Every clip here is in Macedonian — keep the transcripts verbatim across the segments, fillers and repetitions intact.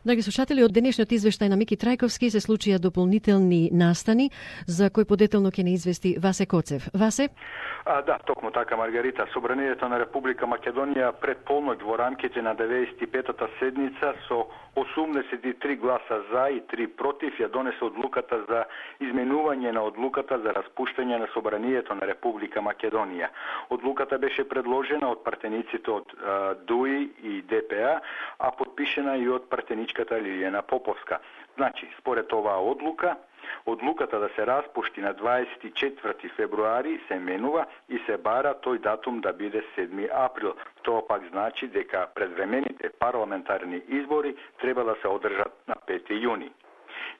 Драги слушатели, од денешниот извештај на Мики Трајковски се случија дополнителни настани, за кој подетелно ќе не извести Васе Коцев. Васе? А, да, токму така, Маргарита. Собранието на Република Македонија пред полноќ во рамките на деветдесет и петата седница со осумдесет и три гласа за и три против ја донесе одлуката за изменување на одлуката за распуштање на Собранието на Република Македонија. Одлуката беше предложена од партениците од а, ДУИ и ДПА, а подпишена и од партеничката Лилијана Поповска. Значи, според оваа одлука, одлуката да се распушти на дваесет и четврти февруари се менува и се бара тој датум да биде седми април. Тоа пак значи дека предвремените парламентарни избори треба да се одржат на пети јуни.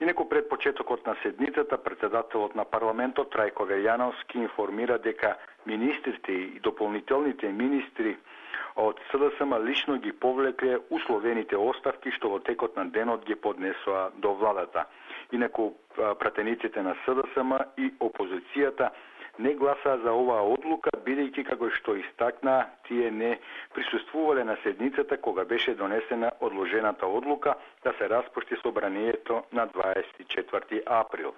Инаку пред почетокот на седницата, председателот на парламентот Трајко Велјановски информира дека министрите и дополнителните министри од СДСМ лично ги повлекле условените оставки што во текот на денот ги поднесоа до владата. Инаку пратениците на СДСМ и опозицијата не гласаа за оваа одлука, бидејќи како што истакна, тие не присуствувале на седницата кога беше донесена одложената одлука да се распушти собранието на дваесет и четврти април.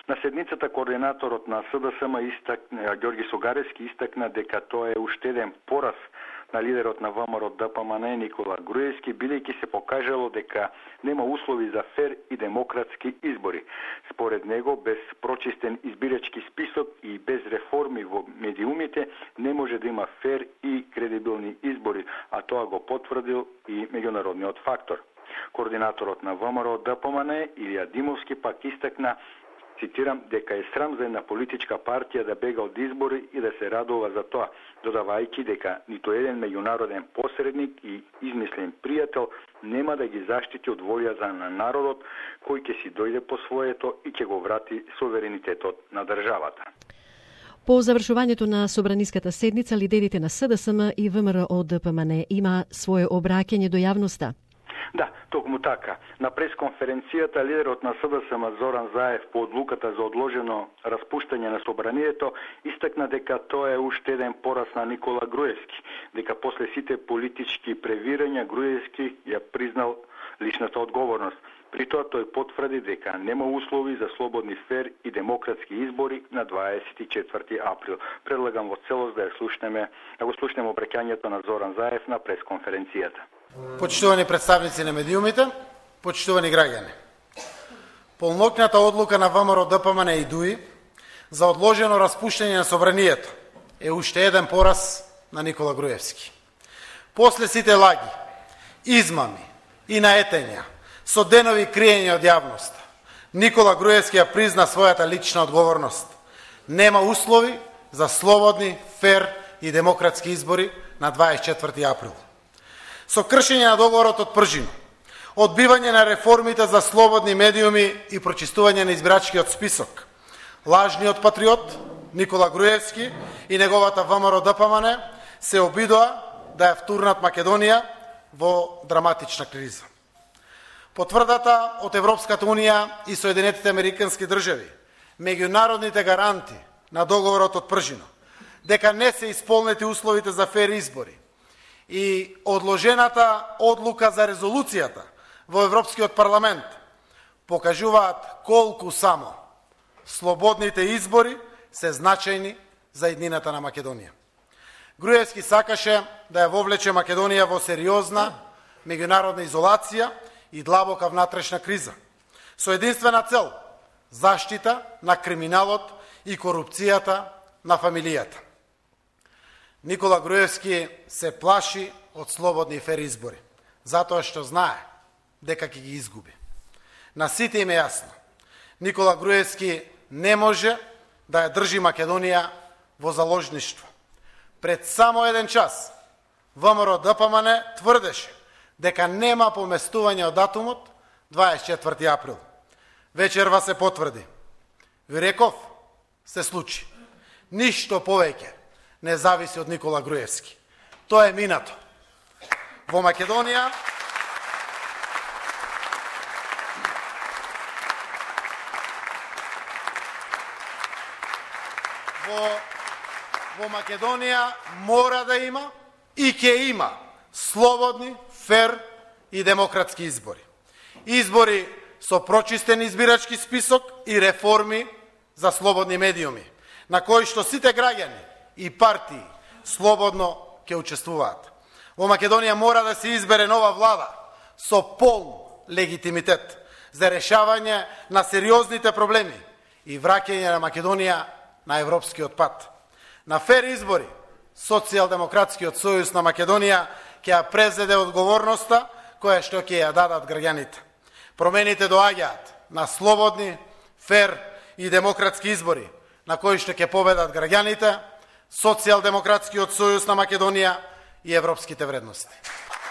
На седницата координаторот на СДСМ истакна, Ѓорги Согаревски истакна дека тоа е уште еден пораз на лидерот на ВМРО ДПМН Никола Груевски, бидејќи се покажало дека нема услови за фер и демократски избори. Според него, без прочистен избирачки список и без реформи во медиумите не може да има фер и кредибилни избори, а тоа го потврдил и меѓународниот фактор. Координаторот на ВМРО ДПМН Илија Димовски пак истакна, цитирам, дека е срам за една политичка партија да бега од избори и да се радува за тоа, додавајќи дека ниту еден меѓународен посредник и измислен пријател нема да ги заштити од волјата на народот кој ќе си дојде по своето и ќе го врати суверенитетот на државата. По завршувањето на собраниската седница, лидерите на СДСМ и ВМРО ДПМН има свое обраќање до јавноста. Да, токму така. На пресконференцијата лидерот на СДСМ Зоран Заев по одлуката за одложено распуштање на собранието истакна дека тоа е уште еден пораз на Никола Груевски, дека после сите политички превирања Груевски ја признал личната одговорност. При тоа тој потврди дека нема услови за слободни, фер и демократски избори на дваесет и четврти април. Предлагам во целост да ја слушнеме, да го слушнеме обраќањето на Зоран Заев на пресконференцијата. Почитувани представници на медиумите, почитувани граѓани. Полноќната одлука на ВМРО ДПМН и ДУИ за одложено распуштање на собранието е уште еден пораз на Никола Груевски. После сите лаги, измами и наетења, со денови криење од јавноста, Никола Груевски ја призна својата лична одговорност. Нема услови за слободни, фер и демократски избори на дваесет и четврти април. Со кршење на договорот од Пржино, одбивање на реформите за слободни медиуми и прочистување на избирачкиот список, лажниот патриот Никола Груевски и неговата ВМРО ДПМН се обидоа да ја втурнат Македонија во драматична криза. Потврдата од Европската Унија и Соединетите Американски држави, меѓународните гаранти на договорот од Пржино, дека не се исполнети условите за фер избори, и одложената одлука за резолуцијата во Европскиот парламент покажуваат колку само слободните избори се значајни за иднината на Македонија. Груевски сакаше да ја вовлече Македонија во сериозна меѓународна изолација и длабока внатрешна криза, со единствена цел заштита на криминалот и корупцијата на фамилијата. Никола Груевски се плаши од слободни и фер избори, затоа што знае дека ќе ги изгуби. На сите им е јасно, Никола Груевски не може да ја држи Македонија во заложништво. Пред само еден час, ВМРО ДПМН тврдеше дека нема поместување од датумот дваесет и четврти април. Вечерва се потврди. Ви реков, се случи. Ништо повеќе не зависи од Никола Груевски. Тоа е минато. Во Македонија во, во Македонија мора да има и ќе има слободни, фер и демократски избори. избори со прочистен избирачки список и реформи за слободни медиуми, на кои што сите граѓани и партии слободно ќе учествуваат. Во Македонија мора да се избере нова влада со полн легитимитет за решавање на сериозните проблеми и враќање на Македонија на европскиот пат. На фер избори, Социјалдемократскиот сојуз на Македонија ќе ја презеде одговорноста која што ќе ја дадат граѓаните. Промените доаѓаат на слободни, фер и демократски избори, на кои што ќе победат граѓаните, Социјалдемократскиот сојуз на Македонија и европските вредности.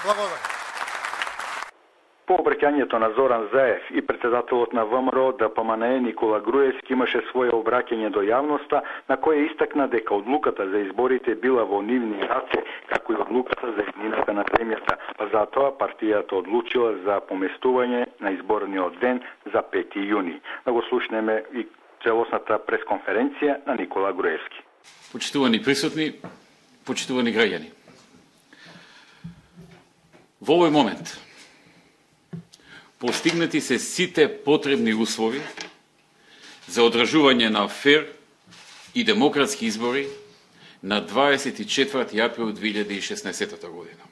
Благодарам. По обраќањето на Зоран Заев и председателот на ВМРО ДПМНЕ Никола Груевски имаше свое обраќање до јавноста, на кое истакна дека одлуката за изборите била во нивни раце, како и одлуката за иднината на земјата, па затоа партијата одлучила за поместување на изборниот ден за пети јуни. Да го слушнеме и целосната пресконференција на Никола Груевски. Почитувани присутни, почитувани граѓани. Во овој момент постигнати се сите потребни услови за одржување на фер и демократски избори на дваесет и четврти април две илјади и шеснаесетта година.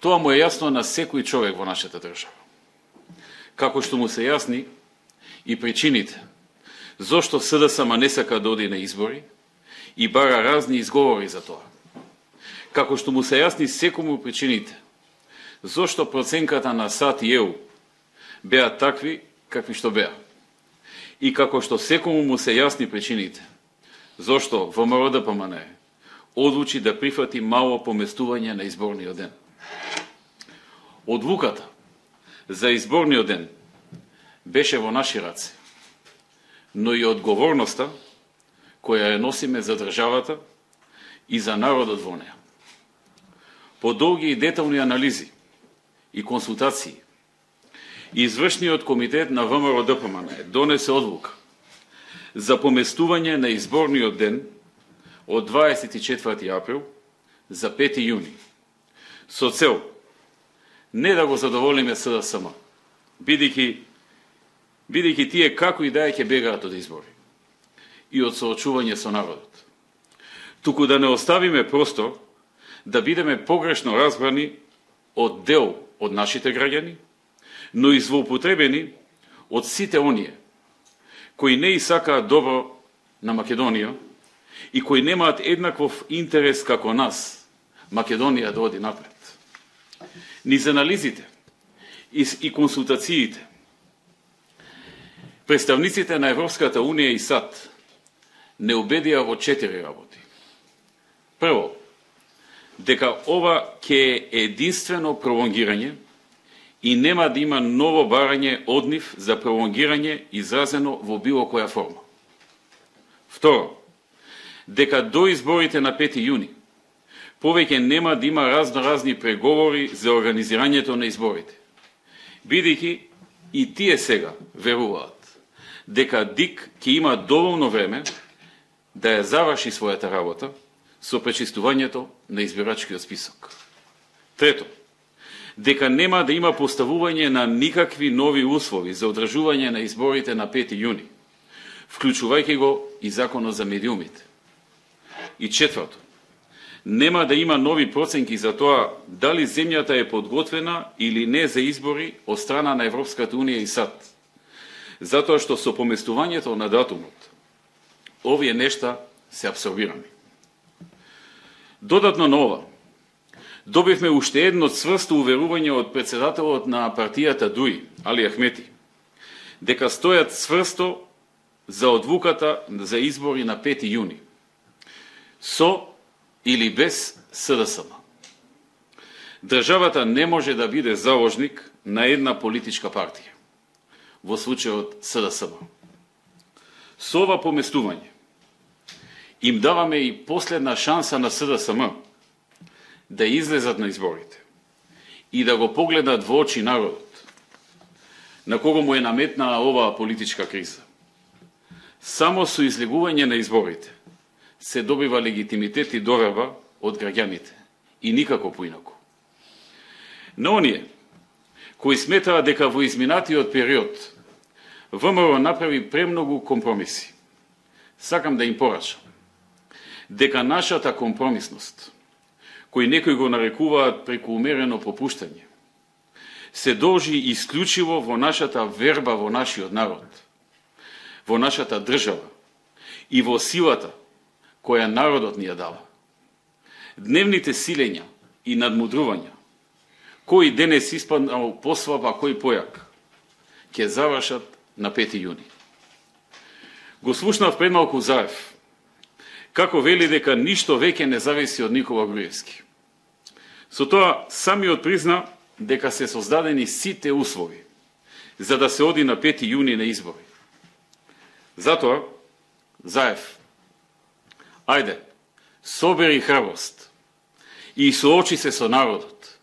Тоа му е јасно на секој човек во нашата држава. Како што му се јасни и причините зошто СДСМ не сака да оди на избори и бара разни изговори за тоа. Како што му се јасни секому причините зошто проценката на САД и ЕУ беа такви какви што беа. И како што секому му се јасни причините зошто ВМРО ДПМНЕ одлучи да прифати мало поместување на изборниот ден. Одлуката за изборниот ден беше во наши раце, но и одговорноста која ја носиме за државата и за народот во неа. По долги и детални анализи и консултации, Извршниот комитет на ВМРО ДПМНЕ донесе одлука за поместување на изборниот ден од дваесет и четврти април за пети јуни, со цел не да го задоволиме СДСМ, бидејќи бидејќи тие како и да е ќе бегаат од избори и од соочување со народот, туку да не оставиме простор да бидеме погрешно разбрани од дел од нашите граѓани, но и злоупотребени од сите оние кои не и сакаат добро на Македонија и кои немаат еднаков интерес како нас Македонија да оди напред. Низ анализите и консултациите представниците на Европската Унија и САД не убедија во четири работи. Прво, дека ова ќе е единствено пролонгирање и нема да има ново барање од нив за пролонгирање изразено во било која форма. Второ, дека до изборите на пети јуни повеќе нема да има разноразни преговори за организирањето на изборите, бидејќи и тие сега веруваат дека ДИК ќе има доволно време да ја заврши својата работа со пречистувањето на избирачкиот список. Трето, дека нема да има поставување на никакви нови услови за одржување на изборите на пети јуни, вклучувајќи го и законот за медиумите. И четврто, нема да има нови проценки за тоа дали земјата е подготвена или не за избори од страна на Европската Унија и САД, затоа што со поместувањето на датумот овие нешта се абсорбирани. Додатно на ова, добивме уште едно цврсто уверување од председателот на партијата ДУИ, Али Ахмети, дека стојат цврсто за одлуката за избори на пети јуни, со или без СДСМ. Државата не може да биде заложник на една политичка партија, во случајот СДСМ. Со ова поместување им даваме и последна шанса на СДСМ да излезат на изборите и да го погледат во очи народот, на кого му е наметнаа оваа политичка криза. Само со излегување на изборите се добива легитимитет и доверба од граѓаните и никако поинаку. На оние кои сметаа дека во изминатиот период ВМРО направи премногу компромиси. Сакам да им порачам дека нашата компромисност, кој некои го нарекуваат преку умерено попуштање, се должи исклучиво во нашата верба во нашиот народ, во нашата држава и во силата која народот ни ја дава. Дневните силења и надмудрувања, кој денес испаднал послаб, а кој појак, ќе завршат на пети јуни. Го слушнав пред малку Заев, како вели дека ништо веќе не зависи од Никола Груевски. Со тоа самиот призна дека се создадени сите услови за да се оди на пети јуни на избори. Затоа, Заев, ајде, собери храброст и соочи се со народот,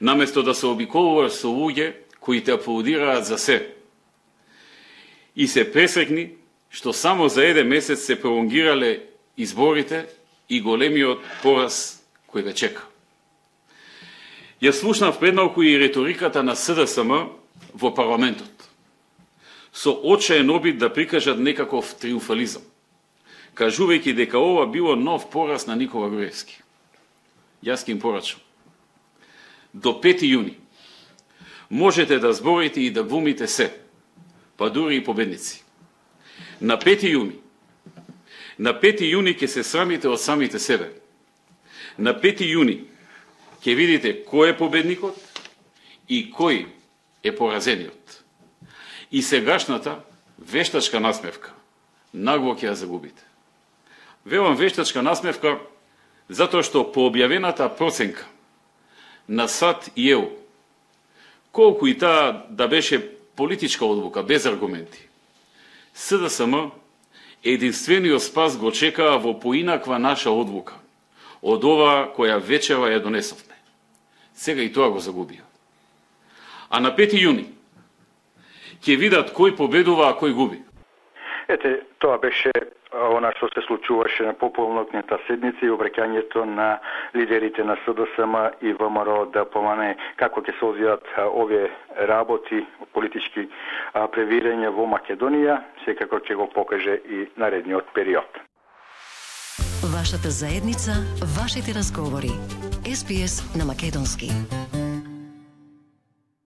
наместо да се обиколуваш со луѓе кои те аплодираат за се. И се пресрекни што само за еден месец се пролонгирале изборите и големиот пораз кој ве чека. Ја слушнав предмалку и риториката на С Д С М во парламентот, со очаен обид да прикажат некаков триумфализам, кажувајќи дека ова било нов пораз на Никола Груевски. Јас ќе им порачам. До пети јуни можете да зборите и да глумите се, па дури и победници. На пети јуни, на пети јуни ќе се срамите од самите себе. На пети јуни ќе видите кој е победникот и кој е поразениот. И сегашната вештачка насмевка нагло ќе ја загубите. Велам вештачка насмевка затоа што по објавената проценка на САД и Е У, колку и таа да беше политичка одлука без аргументи, С Д С М единствениот спас го чекаа во поинаква наша одлука од оваа која вечера ја донесовме. Сега и тоа го загубија. А на пети јуни ќе видат кој победува, а кој губи. Ете, тоа беше она што се случуваше на пополнокната седница и обраќањето на лидерите на С Д С М и ВМРО Д П М Н, како ќе се одвијат овие работи, политички превирања во Македонија, секако ќе го покаже и наредниот период. Вашата заедница, вашите разговори. С Б С на македонски.